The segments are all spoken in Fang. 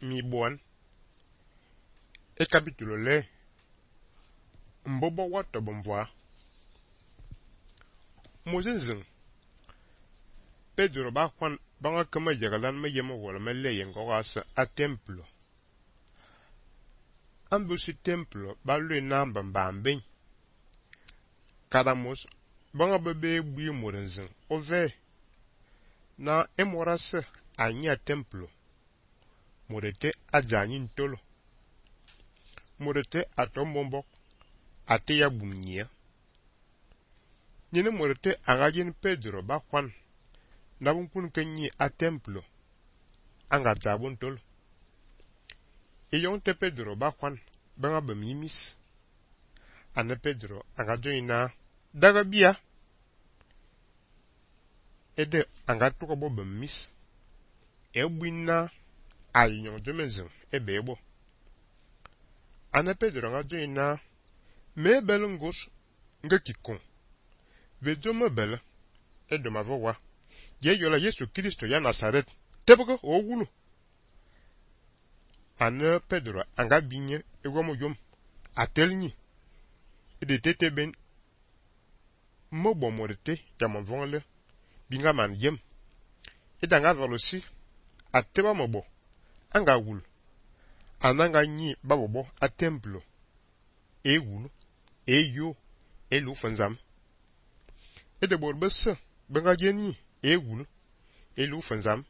mi bon e capítulo le mbobo wato bomvoa Moses Pedro ba kwan banga kama jagalan me yemo wala me le yengo asa a templo ambusi templo ba lue namba mbambe kadamos banga bebe bui morenzen ove na emorase anya templo morete ajani ntolo morete atombombo ate ya bumnia nyine morete angajin Pedro ba kwan na bunkun kenyi a templo anga zabun tolo te Pedro ba kwan banga bamimis ane Pedro anga joina daga bia ede anga tuko bo bamis ebwina ayinyon jomenzin ebebo ane Pedro anga joina me belungos ngekikon vejo mebele edo mavowa ye yola Yesu Kristo ya Nazaret tebego owulu ane Pedro anga binye egomo yom atelni ede tete ben mobo morete jamonvonle binga man yem edanga volosi ateba mobo anga wul ananga nyi babobo a templo e wulu e yo e lu fanzam ede borbese benga jeni e wulu e lu fanzam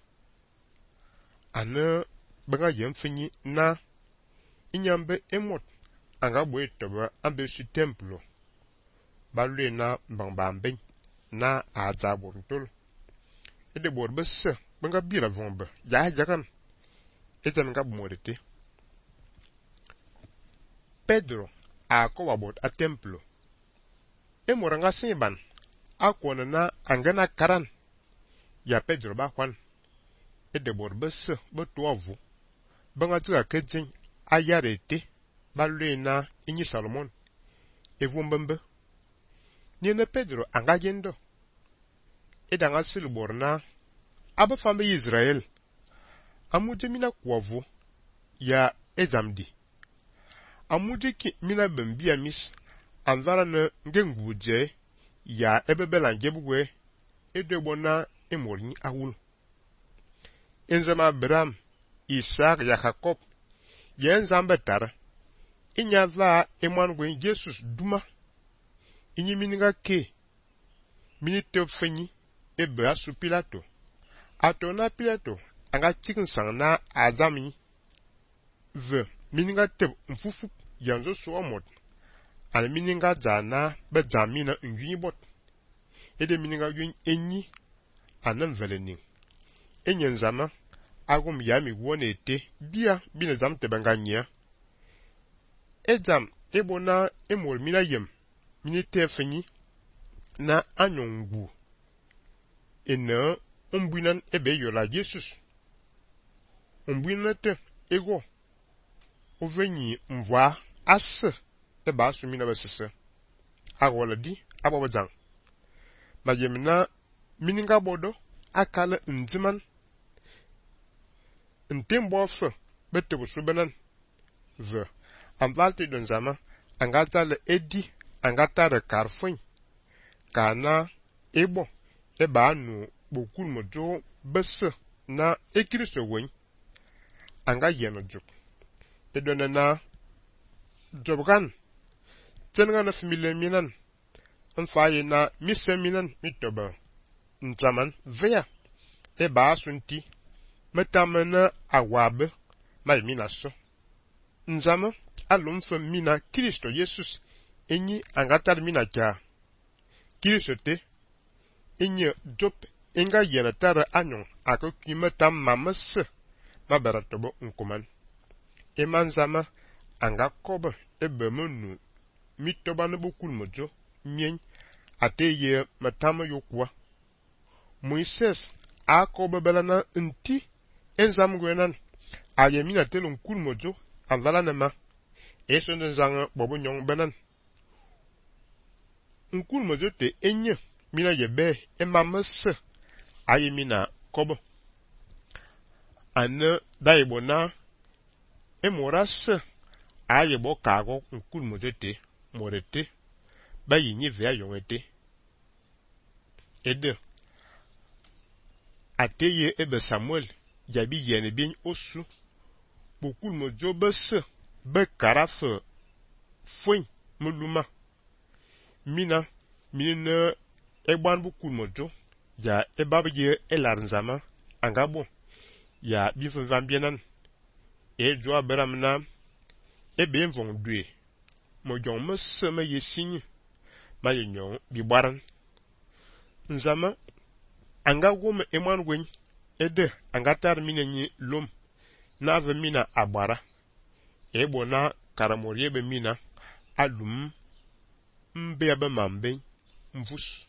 ane benga yem finyi na inyambe emot anga boye toba ambe su templo balwe na mbambambe na azabor tol ede borbese benga bira vombe ya jagan etan nga bomorete Pedro a ko wabot a templo emoranga siban akona na angana karan ya Pedro ba kwan ede borbese botovu banga tuka kejin ayarete balwe na inyi Salomon evumbembe ni Pedro anga yendo edanga silborna aba fambe Israel amuje mina kwavu ya ezamdi amuje ki mina bambia mis anzara na ngenguje ya ebebela ngebugwe edebona emorni awul enzama Abraham Isaac ya Jacob yen zamba tara inya va emangwe Jesus duma inyi mininga ke minite fenyi ebe asu Pilato atona Pilato anga chicken sang na azami ve mininga teb mfufu yanzo suamot al mininga jana be jamina nyi bot ede mininga yun enyi anan veleni enyen zama agum yami wonete bia bine zam tebanganya ejam ebona emol mina yem minite fenyi na anyongu ena umbuinan ebe yola Jesus umbuinate ego ovenyi mvwa ase eba asumina basese agola di abobajang majemna mininga bodo akala nziman ntembo fe betebu subenan ve amvalte don zama angata le edi angata de karfin kana ebo eba nu bokul mojo bese na ekristo wen anga yeno juk edona na jobgan tenga na famile minan anfaye na mise minan mitoba ntaman veya eba asunti metamena awabe mai minaso nzama alumfa mina Kristo Jesus enyi angatar mina kya Kristo te enyi job enga yena tara anyon akokime tam mamase mabaratobo nkuman emanzama anga kobe ebemunu mitoba no bokul mojo mien ateye matama yokwa Moises akobe belana nti enzam gwenan ayemina telon kul mojo anvala nema esonde zanga bobo nyong benan nkul mojo te enye mina yebe emamase ayemina kobo ane daibona e morase aye bo kago nkul modete morete ba yinyi ve ayongete ede ateye ebe Samuel yabi yene bien osu bokul mojo bese be karafe fuen muluma mina minne egban bokul mojo ya ebabiye elarzama angabo ya bifo vambienan e jo aberamna ebe mvon due mo jon mese me yesinyi ma yenyon bi baran nzama anga wome eman wen ede anga tar minenyi lom na ave mina agbara ebo na karamoriye be mina alum mbe abe mambe mvus